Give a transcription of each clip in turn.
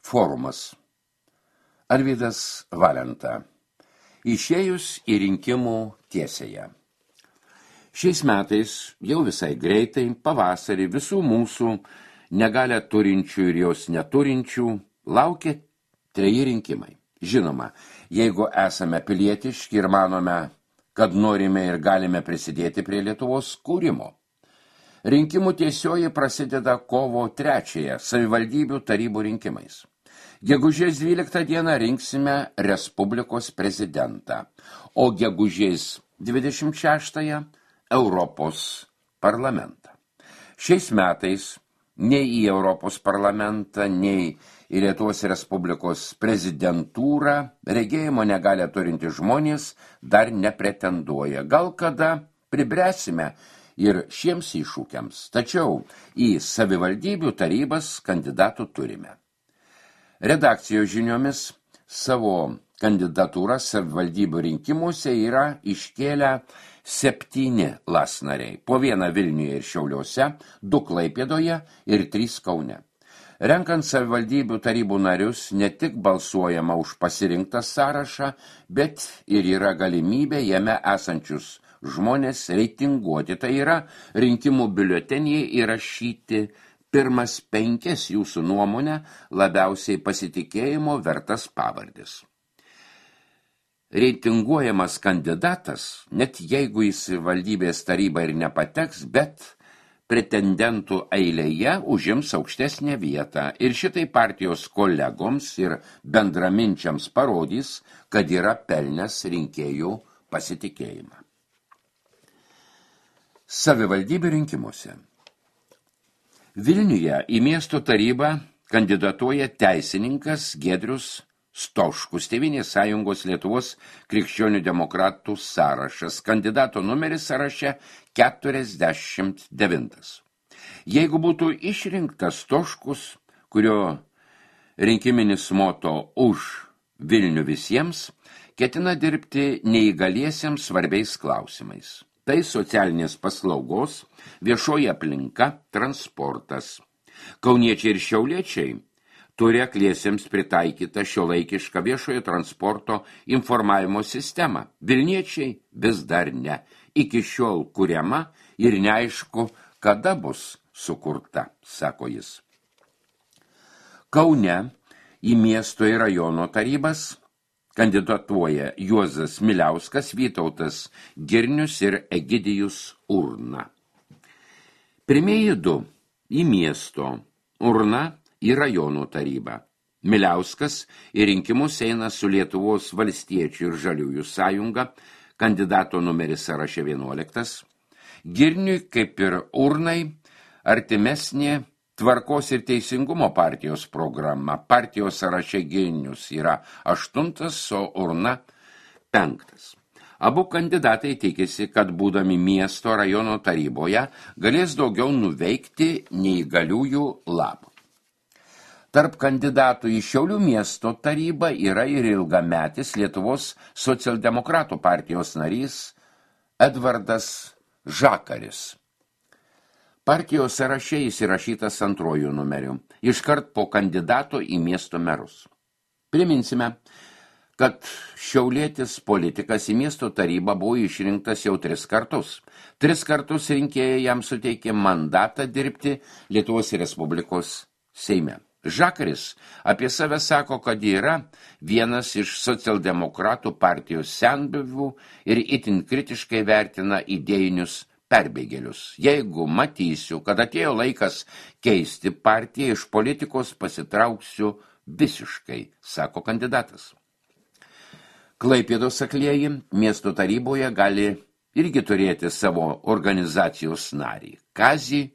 Forumas. Arvydas Valenta. Išėjus į rinkimų tiesėje. Šiais metais, jau visai greitai, pavasarį visų mūsų negalę turinčių ir jos neturinčių laukia 3 rinkimai. Žinoma, jeigu esame pilietiški ir manome, kad norime ir galime prisidėti prie Lietuvos kūrimo. Rinkimų tiesioji prasideda kovo 3 savivaldybių tarybų rinkimais. Gegužės 12 dieną rinksime Respublikos prezidentą, o gegužės 26 Europos parlamentą. Šiais metais nei į Europos parlamentą, nei į Lietuvos Respublikos prezidentūrą regėjimo negalę turinti žmonės dar nepretenduoja. Gal kada pribręsime ir šiems iššūkiams, tačiau į savivaldybių tarybas kandidatų turime. Redakcijos žiniomis savo kandidatūrą savivaldybių rinkimuose yra iškėlę 7 LAS nariai, po 1 Vilniuje ir Šiauliuose, 2 Klaipėdoje ir 3 Kaune. Renkant savivaldybių tarybų narius ne tik balsuojama už pasirinktą sąrašą, bet ir yra galimybė jame esančius žmonės reitinguoti, tai yra rinkimų biuletenyje įrašyti pirmas 5 jūsų nuomonę labiausiai pasitikėjimo vertas pavardės. Reitinguojamas kandidatas, net jeigu jis į valdybės tarybą ir nepateks, bet pretendentų eilėje užims aukštesnę vietą ir šitai partijos kolegoms ir bendraminčiams parodys, kad yra pelnęs rinkėjų pasitikėjimą. Savivaldybių rinkimuose. Vilniuje į miesto tarybą kandidatuoja teisininkas Giedrius Stoškus, Tėvynės sąjungos Lietuvos krikščionių demokratų sąrašas, kandidato numeris sąraše 49. Jeigu būtų išrinktas Stoškus, kurio rinkiminis moto už Vilnių visiems, ketina dirbti neįgaliesiems svarbiais klausimais. Tai socialinės paslaugos, viešoji aplinka, transportas. Kauniečiai ir šiauliečiai turi akliesiems pritaikytą šiuolaikišką viešojo transporto informavimo sistemą. Vilniečiai vis dar ne. Iki šiol kuriama ir neaišku, kada bus sukurta, sako jis. Kaune į miesto ir rajono tarybas kandidatuoja Juozas Miliauskas, Vytautas Girnius ir Egidijus Urna. Pirmieji 2 į miesto, Urna į rajonų tarybą. Miliauskas į rinkimus eina su Lietuvos valstiečių ir žaliųjų sąjunga, kandidato numeris sąraše 11. Girniui, kaip ir Urnai, artimesnė Tvarkos ir teisingumo partijos programa. Partijos sąraše Girnius yra 8, o Urna 5. Abu kandidatai tikisi, kad būdami miesto rajono taryboje galės daugiau nuveikti neįgaliųjų labui. Tarp kandidatų į Šiaulių miesto tarybą yra ir ilgametis Lietuvos socialdemokratų partijos narys Edvardas Žakaris. Partijos sąraše įsirašytas 2 numeriu, iškart po kandidato į miesto merus. Priminsime, kad šiaulietis politikas į miesto tarybą buvo išrinktas jau 3 kartus. 3 kartus rinkėjai jam suteikė mandatą dirbti Lietuvos Respublikos Seime. Žakaris apie save sako, kad yra vienas iš socialdemokratų partijos senbuvių ir itin kritiškai vertina idėjinius perbėgėlius. Jeigu matysiu, kad atėjo laikas keisti partiją, iš politikos pasitrauksiu visiškai, sako kandidatas. Klaipėdos aklieji miesto taryboje gali irgi turėti savo organizacijos narį, Kazį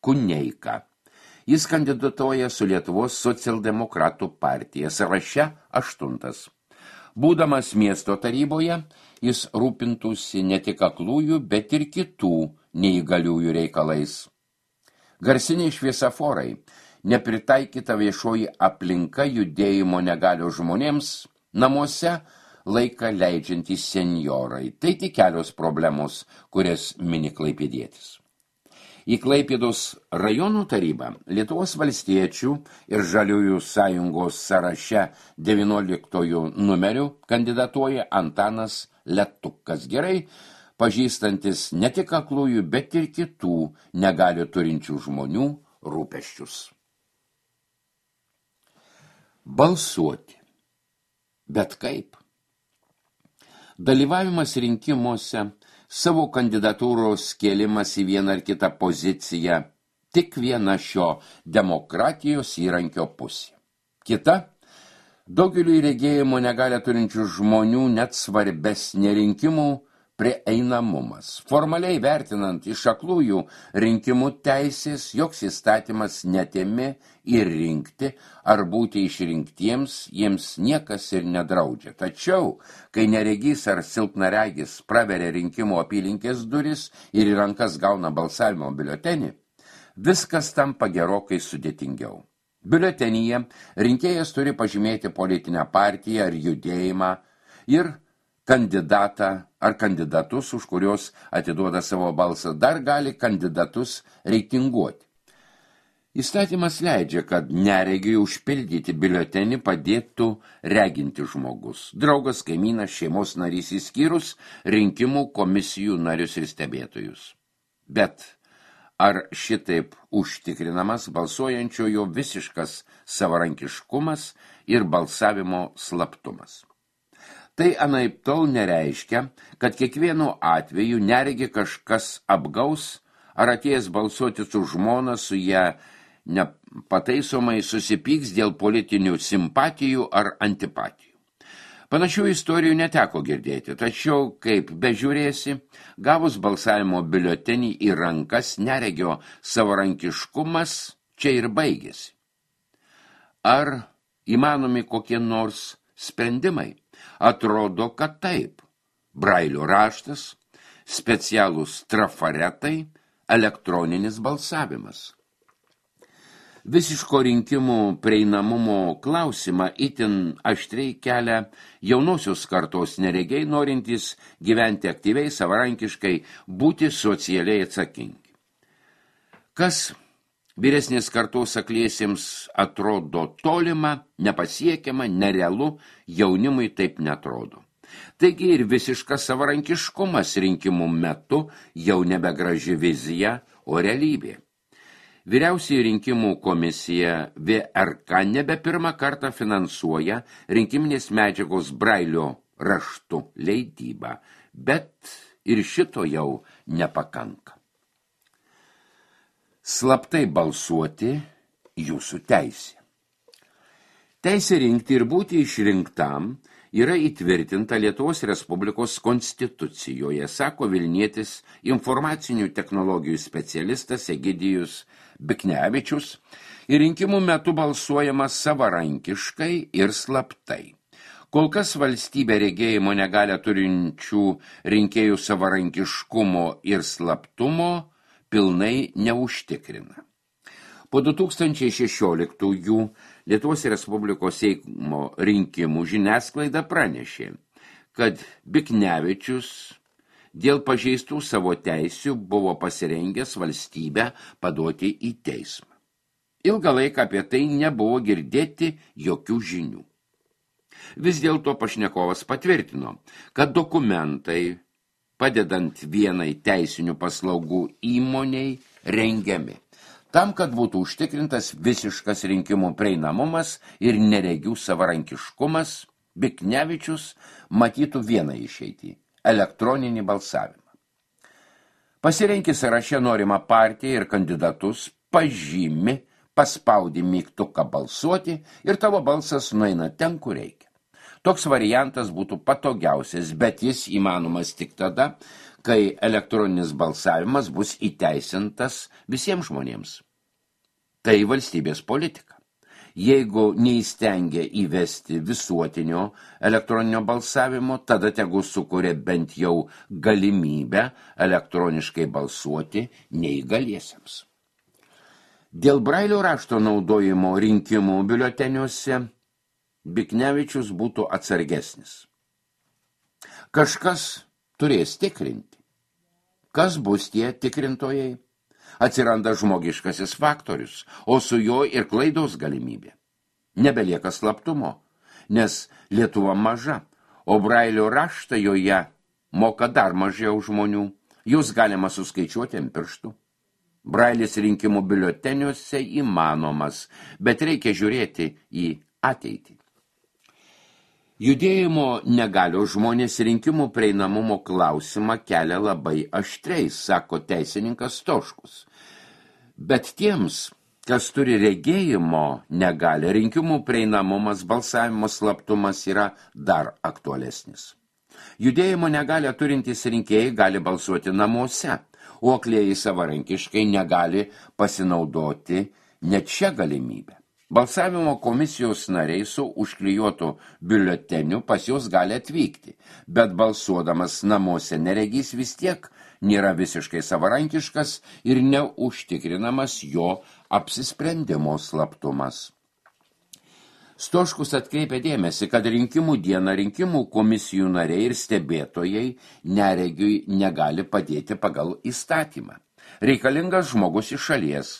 Kuneiką. Jis kandidatuoja su Lietuvos socialdemokratų partija, sąraše 8. Būdamas miesto taryboje, jis rūpintųsi ne tik aklųjų, bet ir kitų neįgaliųjų reikalais. Garsiniai šviesaforai, nepritaikyta viešoji aplinka judėjimo negalio žmonėms, namuose laiką leidžiantys senjorai. Tai tik kelios problemos, kurias mini klaipėdietis. Į Klaipėdos rajonų tarybą Lietuvos valstiečių ir Žaliųjų sąjungos sąraše 19 numerių kandidatuoja Antanas Letukas, gerai pažįstantis ne tik aklųjų, bet ir kitų negalių turinčių žmonių rūpesčius. Balsuoti. Bet kaip? Dalyvavimas rinkimuose, savo kandidatūros kėlimas į vieną ar kitą poziciją, tik viena šio demokratijos įrankio pusė. Kita, daugeliui regėjimo negalią turinčių žmonių net svarbesnė rinkimų prieinamumas. Formaliai vertinant iš aklųjų rinkimų teisės, joks įstatymas netėmė ir rinkti ar būti išrinktiems, jiems niekas ir nedraudžia. Tačiau, kai neregys ar silpnaregis praveria rinkimų apylinkės duris ir į rankas gauna balsavimo biuletenį, viskas tampa gerokai sudėtingiau. Biuletenyje rinkėjas turi pažymėti politinę partiją ar judėjimą ir kandidatą ar kandidatus, už kurios atiduoda savo balsą, dar gali kandidatus reitinguoti. Įstatymas leidžia, kad neregiui užpildyti biuletenį padėtų reginti žmogus, draugas, kaimynas, šeimos narys išskyrus rinkimų komisijų narius ir stebėtojus. Bet ar šitaip užtikrinamas balsuojančiojo visiškas savarankiškumas ir balsavimo slaptumas? Tai anaiptol nereiškia, kad kiekvienu atveju neregi kažkas apgaus ar atėjęs balsuoti su žmona su ją nepataisomai susipyks dėl politinių simpatijų ar antipatijų. Panašių istorijų neteko girdėti, tačiau, kaip bežiūrėsi, gavus balsavimo biuletenį į rankas neregio savarankiškumas čia ir baigėsi. Ar įmanomi kokie nors sprendimai? Atrodo, kad taip. Brailio raštas, specialūs trafaretai, elektroninis balsavimas. Visiško rinkimų prieinamumo klausimą itin aštriai kelia jaunosios kartos neregiai, norintys gyventi aktyviai, savarankiškai, būti socialiai atsakingi. Kas vyresnės kartos akliesiems atrodo tolima, nepasiekiama, nerealu, jaunimui taip netrodo. Taigi ir visiškas savarankiškumas rinkimų metu jau nebegraži vizija, o realybė. Vyriausioji rinkimų komisija VRK nebe pirmą kartą finansuoja rinkiminės medžiagos Brailio raštu leidybą, bet ir šito jau nepakanka. Slaptai balsuoti jūsų teisė. Teisė rinkti ir būti išrinktam yra įtvirtinta Lietuvos Respublikos konstitucijoje, sako Vilnietis informacinių technologijų specialistas Egidijus Biknevičius, ir rinkimų metu balsuojama savarankiškai ir slaptai. Kol kas valstybė regėjimo negalią turinčių rinkėjų savarankiškumo ir slaptumo pilnai neužtikrina. Po 2016 Lietuvos Respublikos Seimo rinkimų žiniasklaida pranešė, kad Biknevičius dėl pažeistų savo teisių buvo pasirengęs valstybę paduoti į teismą. Ilgą laiką apie tai nebuvo girdėti jokių žinių. Vis dėlto pašnekovas patvirtino, kad dokumentai, padedant vienai teisinių paslaugų įmoniai, rengiami, tam, kad būtų užtikrintas visiškas rinkimų prieinamumas ir neregių savarankiškumas, Biknevičius matytų vieną išeitį – elektroninį balsavimą. Pasirenki sąraše norimą partiją ir kandidatus, pažymi, paspaudi mygtuką balsuoti ir tavo balsas nueina ten, kur reikia. Toks variantas būtų patogiausias, bet jis įmanomas tik tada, kai elektroninis balsavimas bus įteisintas visiems žmonėms. Tai valstybės politika. Jeigu neįstengia įvesti visuotinio elektroninio balsavimo, tada tegu sukuria bent jau galimybę elektroniškai balsuoti neįgaliesiems. Dėl Brailio rašto naudojimo rinkimų biuleteniuose Biknevičius būtų atsargesnis. Kažkas turės tikrinti. Kas bus tie tikrintojai? Atsiranda žmogiškasis faktorius, o su jo ir klaidos galimybė. Nebelieka slaptumo, nes Lietuva maža, o Brailio raštą joje moka dar mažiau žmonių. Jūs galima suskaičiuoti ant pirštų. Brailis rinkimų biuleteniuose įmanomas, bet reikia žiūrėti į ateitį. Judėjimo negalios žmonės rinkimų prieinamumo klausimą kelia labai aštriai, sako teisininkas Stoškus. Bet tiems, kas turi regėjimo negalią, rinkimų prieinamumas, balsavimo slaptumas yra dar aktualesnis. Judėjimo negalią turintys rinkėjai gali balsuoti namuose, o aklieji savarankiškai negali pasinaudoti net šią galimybę. Balsavimo komisijos nariai su užklijuotu biuleteniu pas juos gali atvykti, bet balsuodamas namuose neregys vis tiek nėra visiškai savarankiškas ir neužtikrinamas jo apsisprendimo slaptumas. Stoškus atkreipia dėmesį, kad rinkimų dieną rinkimų komisijų nariai ir stebėtojai neregiui negali padėti pagal įstatymą. Reikalingas žmogus iš šalies.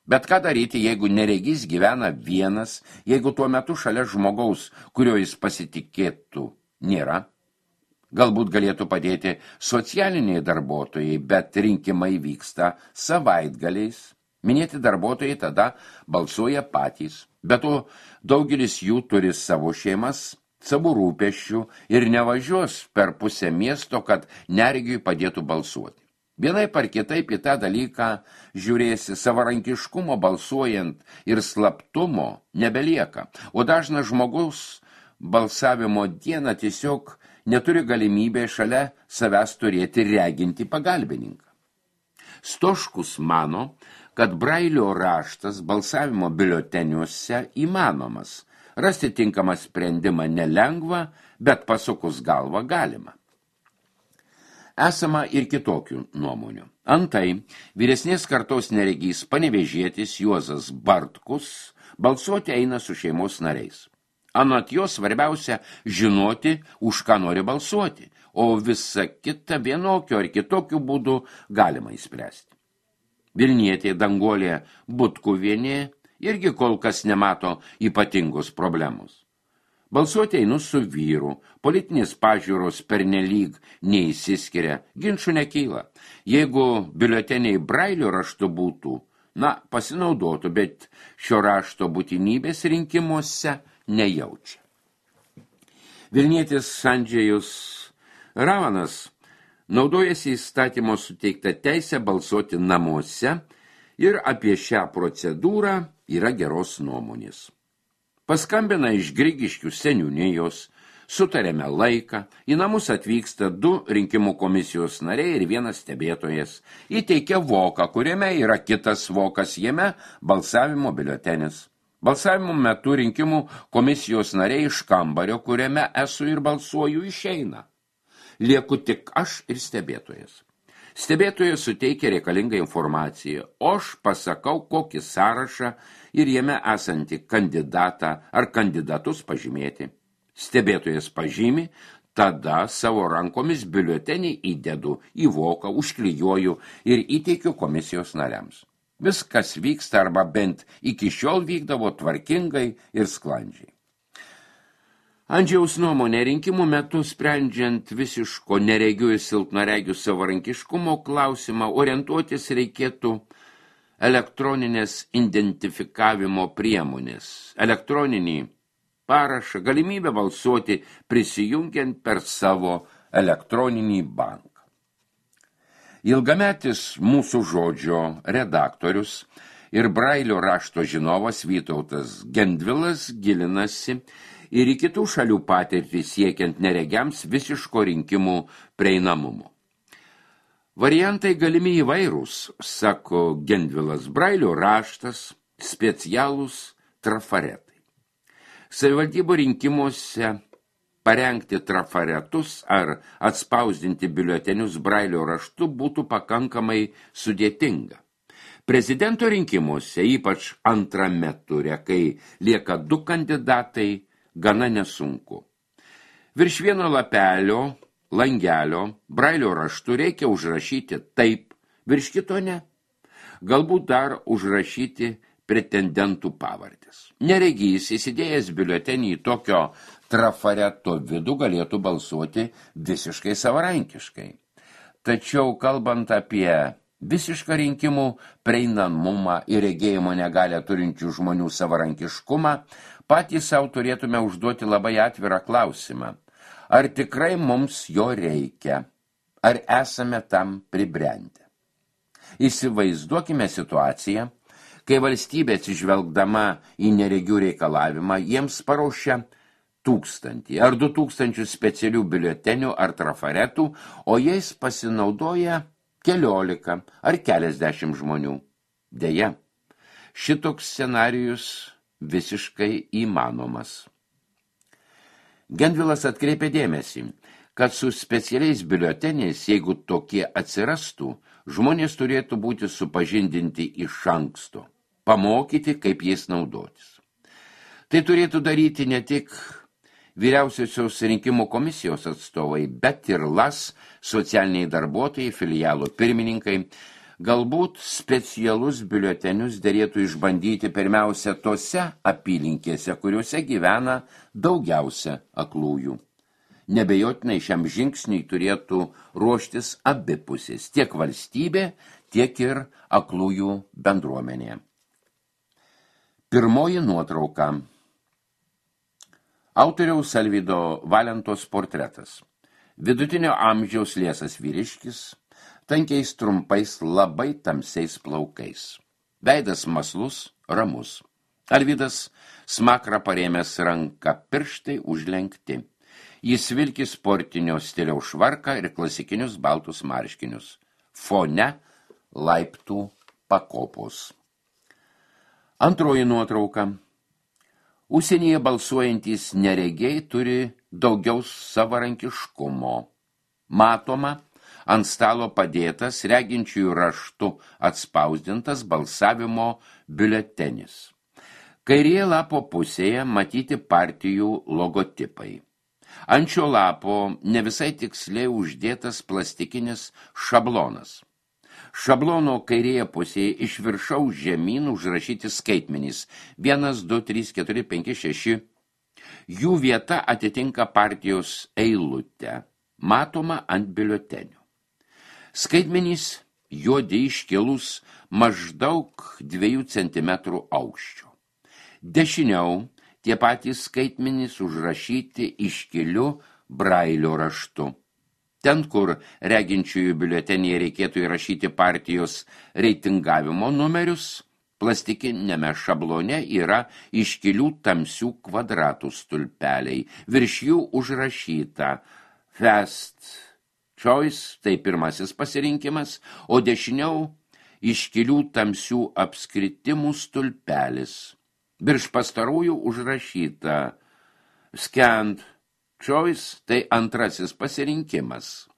Bet ką daryti, jeigu neregys gyvena vienas, jeigu tuo metu šalia žmogaus, kurio jis pasitikėtų, nėra? Galbūt galėtų padėti socialiniai darbuotojai, bet rinkimai vyksta savaitgaliais. Minėti darbuotojai tada balsuoja patys. Bet to daugelis jų turi savo šeimas, savo rūpesčių ir nevažiuos per pusę miesto, kad neregiui padėtų balsuoti. Vienaip ar kitaip į tą dalyką žiūrėsi, savarankiškumo balsuojant ir slaptumo nebelieka, o dažnas žmogus balsavimo dieną tiesiog neturi galimybę šalia savęs turėti reginti pagalbininką. Stoškus mano, kad Brailio raštas balsavimo biuleteniuose įmanomas. Rasti tinkamą sprendimą nelengva, bet pasukus galvą galima. Esama ir kitokių nuomonių. Antai, vyresnės kartos neregys panevėžietis Juozas Bartkus balsuoti eina su šeimos nariais. Anot jo svarbiausia žinoti, už ką nori balsuoti, o visa kita vienokio ar kitokių būdų galima įspręsti. Vilnietė Danguolė Butkuvienė irgi kol kas nemato ypatingos problemos. Balsuoti einu su vyru, politinės pažiūros pernelyg neįsiskiria, ginčų nekyla. Jeigu biuleteniai Brailio raštu būtų, pasinaudotų, bet šio rašto būtinybės rinkimuose nejaučia. Vilnietis Andžejus Ravanas naudojasi įstatymo suteiktą teisę balsuoti namuose ir apie šią procedūrą yra geros nuomonės. Paskambina iš Grigiškių seniūnijos, sutarėme laiką, į namus atvyksta 2 rinkimų komisijos nariai ir 1 stebėtojas, įteikia voką, kuriame yra kitas vokas, jame balsavimo biuletenis. Balsavimo metu rinkimų komisijos nariai iš kambario, kuriame esu ir balsuoju, išeina. Lieku tik aš ir stebėtojas. Stebėtojas suteikia reikalingą informaciją, o aš pasakau kokį sąrašą ir jame esantį kandidatą ar kandidatus pažymėti. Stebėtojas pažymi, tada savo rankomis biuletenį įdedu į voką, užklijuoju ir įteikiu komisijos nariams. Viskas vyksta arba bent iki šiol vykdavo tvarkingai ir sklandžiai. Andžejaus nuomonė rinkimų metu sprendžiant visiško neregių ir silpnaregių savarankiškumo klausimą orientuotis reikėtų elektroninės identifikavimo priemonės, elektroninį parašą, galimybę balsuoti prisijungiant per savo elektroninį banką. Ilgametis mūsų žodžio redaktorius ir Brailio rašto žinovas Vytautas Gendvilas gilinasi ir į kitų šalių patirtį siekiant neregiams visiško rinkimų prieinamumo. Variantai galimi įvairūs, sako Gendvilas, Brailio raštas, specialūs trafaretai. Savivaldybių rinkimuose parengti trafaretus ar atspausdinti biuletenius Brailio raštu būtų pakankamai sudėtinga. Prezidento rinkimuose, ypač antrame ture, kai lieka 2 kandidatai, gana nesunku. Virš vieno lapelio, langelio, Brailio raštu reikia užrašyti taip, virš kito ne. galbūt dar užrašyti pretendentų pavardės. Neregys įsidėjęs biuletenį į tokio trafareto vidų galėtų balsuoti visiškai savarankiškai. Tačiau kalbant apie visišką rinkimų prieinamumą ir regėjimo negalę turinčių žmonių savarankiškumą, patys savo turėtume užduoti labai atvirą klausimą. Ar tikrai mums jo reikia? Ar esame tam pribrendę? Įsivaizduokime situaciją, kai valstybė atsižvelgdama į neregių reikalavimą jiems paruošia 1000 ar 2000 specialių biuletenių ar trafaretų, o jais pasinaudoja 14 ar keliasdešimt žmonių. Deja, šitoks scenarijus visiškai įmanomas. Gendvilas atkreipė dėmesį, kad su specialiais biuleteniais, jeigu tokie atsirastų, žmonės turėtų būti supažindinti iš anksto, pamokyti, kaip jais naudotis. Tai turėtų daryti ne tik Vyriausiosios rinkimų komisijos atstovai, bet ir LAS, socialiniai darbuotojai, filialų pirmininkai. Galbūt specialus biuletenius derėtų išbandyti pirmiausia tose apylinkėse, kuriuose gyvena daugiausia aklųjų. Nebejotinai šiam žingsniui turėtų ruoštis abi pusės, tiek valstybė, tiek ir aklųjų bendruomenė. Pirmoji nuotrauka. Autoriaus Alvydo Valentos portretas. Vidutinio amžiaus liesas vyriškis, tankiais trumpais labai tamsiais plaukais. Veidas maslus, ramus. Alvydas smakrą parėmęs ranką, pirštai užlenkti. Jis vilki sportinio stiliaus švarką ir klasikinius baltus marškinius. Fone laiptų pakopos. Antroji nuotrauka. Užsienyje balsuojantys neregiai turi daugiau savarankiškumo. Matoma, ant stalo padėtas reginčiųjų raštu atspausdintas balsavimo biuletenis. Kairėje lapo pusėje matyti partijų logotipai. Ant šio lapo ne visai tiksliai uždėtas plastikinis šablonas. Šablono kairėje pusėje iš viršaus žemyn užrašyti skaitmenys 1, 2, 3, 4, 5, 6. Jų vieta atitinka partijos eilutę, matoma ant biuletenių. Skaitmenys juodi iškilus maždaug 2 cm aukščio. Dešiniau tie patys skaitmenys užrašyti iškiliu brailio raštu. Ten, kur reginčiųjų biuletenyje reikėtų įrašyti partijos reitingavimo numerius, plastikinėme šablone yra iškilių tamsių kvadratų stulpeliai. Virš jų užrašyta First Choice, tai pirmasis pasirinkimas, o dešiniau iškilių tamsių apskritimų stulpelis. Virš pastarųjų užrašyta Scanned Choice, tai antrasis pasirinkimas.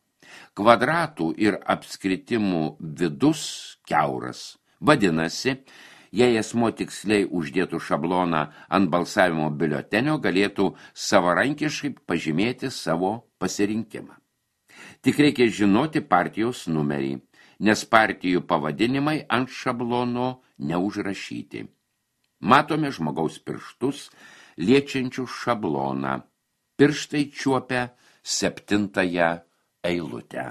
Kvadratų ir apskritimų vidus kiauras. Vadinasi, jei asmuo tiksliai uždėtų šabloną ant balsavimo biuletenio, galėtų savarankiškai pažymėti savo pasirinkimą. Tik reikia žinoti partijos numerį, nes partijų pavadinimai ant šablono neužrašyti. Matome žmogaus pirštus, liečiančių šabloną. Pirštai čiuopia 7 eilutę.